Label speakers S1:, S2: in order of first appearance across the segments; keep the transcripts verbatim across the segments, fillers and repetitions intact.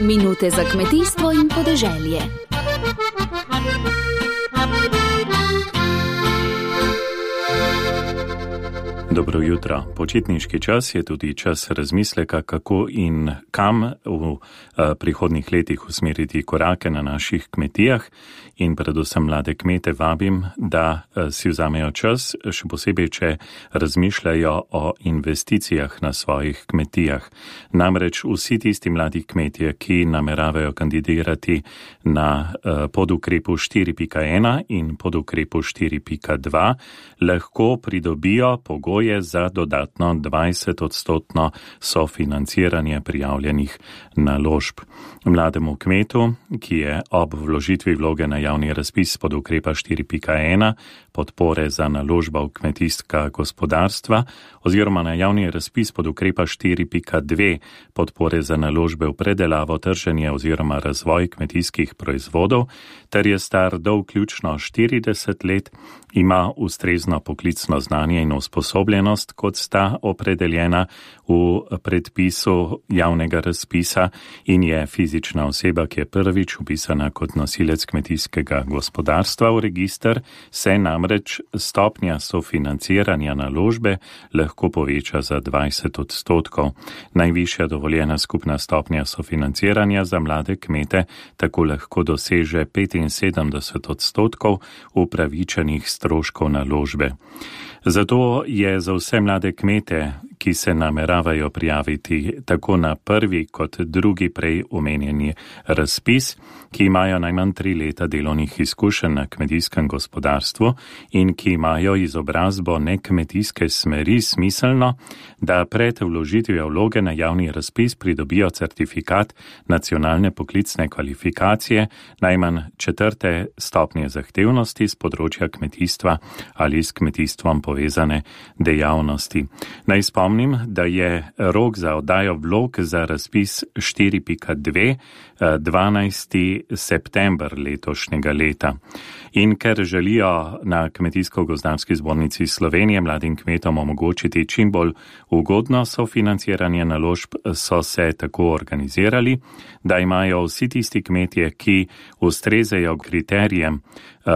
S1: Minute za kmetijstvo in podeželje.
S2: Dobro jutro. Počitniški čas je tudi čas razmisleka, kako in kam v prihodnjih letih usmeriti korake na naših kmetijah, in predvsem mlade kmete vabim, da si vzamejo čas, še posebej, če razmišljajo o investicijah na svojih kmetijah. Namreč vsi tisti mladi kmetje, ki nameravajo kandidirati na podukrepu štiri pika ena in podukrepu štiri pika dva, lahko pridobijo pogoje za dodatno dvajset odstotno sofinanciranje prijavljenih naložb. Mlademu kmetu, ki je ob vložitvi vloge na javni razpis pod ukrepa štiri pika ena podpore za naložba v kmetijska gospodarstva oziroma na javni razpis pod ukrepa štiri pika dve podpore za naložbe v predelavo, trženje oziroma razvoj kmetijskih proizvodov, ter je star do vključno štirideset let, ima ustrezno poklicno znanje in usposobljenost, kot sta opredeljena v predpisu javnega razpisa, in je fizična oseba, ki je prvič vpisana kot nosilec kmetijskega gospodarstva v register, se namreč stopnja sofinanciranja naložbe lahko poveča za dvajset odstotkov. Najvišja dovoljena skupna stopnja sofinanciranja za mlade kmete tako lahko doseže petinsedemdeset odstotkov upravičenih stroškov naložbe. Zato je za vse mlade kmete, ki se nameravajo prijaviti tako na prvi kot drugi prej omenjeni razpis, ki imajo najmanj tri leta delovnih izkušenj na kmetijskem gospodarstvu in ki imajo izobrazbo nekmetijske smeri, smiselno, da pred vložitvijo vloge na javni razpis pridobijo certifikat nacionalne poklicne kvalifikacije najmanj četrte stopnje zahtevnosti z področja kmetijstva ali s kmetijstvom povezane dejavnosti. Naj spomnim, da je rok za oddajo vlog za razpis štiri pika dve dvanajsti september letošnjega leta. In ker želijo na Kmetijsko-gozdarski zbornici Slovenije mladim kmetom omogočiti čim bolj ugodno sofinanciranje naložb, so se tako organizirali, da imajo vsi tisti kmetje, ki ustrezajo kriterijem,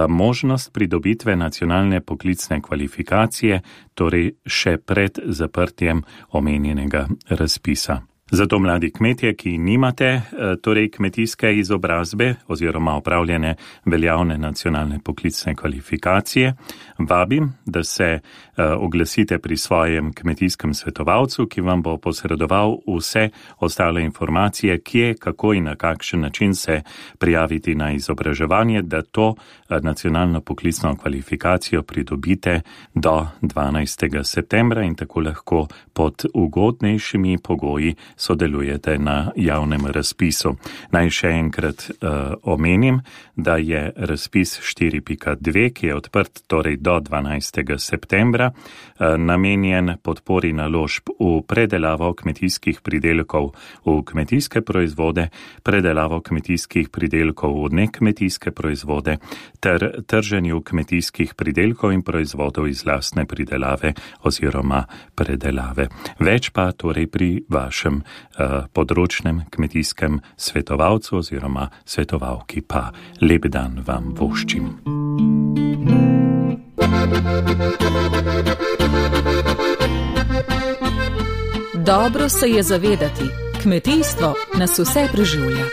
S2: možnost pridobitve nacionalne poklicne kvalifikacije, torej še pred zaprtjem omenjenega razpisa. Zato mladi kmetje, ki nimate torej kmetijske izobrazbe oziroma opravljene veljavne nacionalne poklicne kvalifikacije, vabim, da se oglasite pri svojem kmetijskem svetovalcu, ki vam bo posredoval vse ostale informacije, kje, kako in na kakšen način se prijaviti na izobraževanje, da to nacionalno poklicno kvalifikacijo pridobite do dvanajstega septembra in tako lahko pod ugodnejšimi pogoji sodelujete na javnem razpisu. Naj še enkrat uh, omenim, da je razpis štiri pika dve, ki je odprt torej do dvanajstega septembra, uh, namenjen podpori naložb v predelavo kmetijskih pridelkov v kmetijske proizvode, predelavo kmetijskih pridelkov v nekmetijske proizvode ter trženju kmetijskih pridelkov in proizvodov iz lastne pridelave oziroma predelave. Več pa torej pri vašem področnem kmetijskem svetovalcu oziroma svetovalki. Pa lep dan vam voščim.
S3: Dobro se je zavedati, kmetijstvo nas vse preživlja.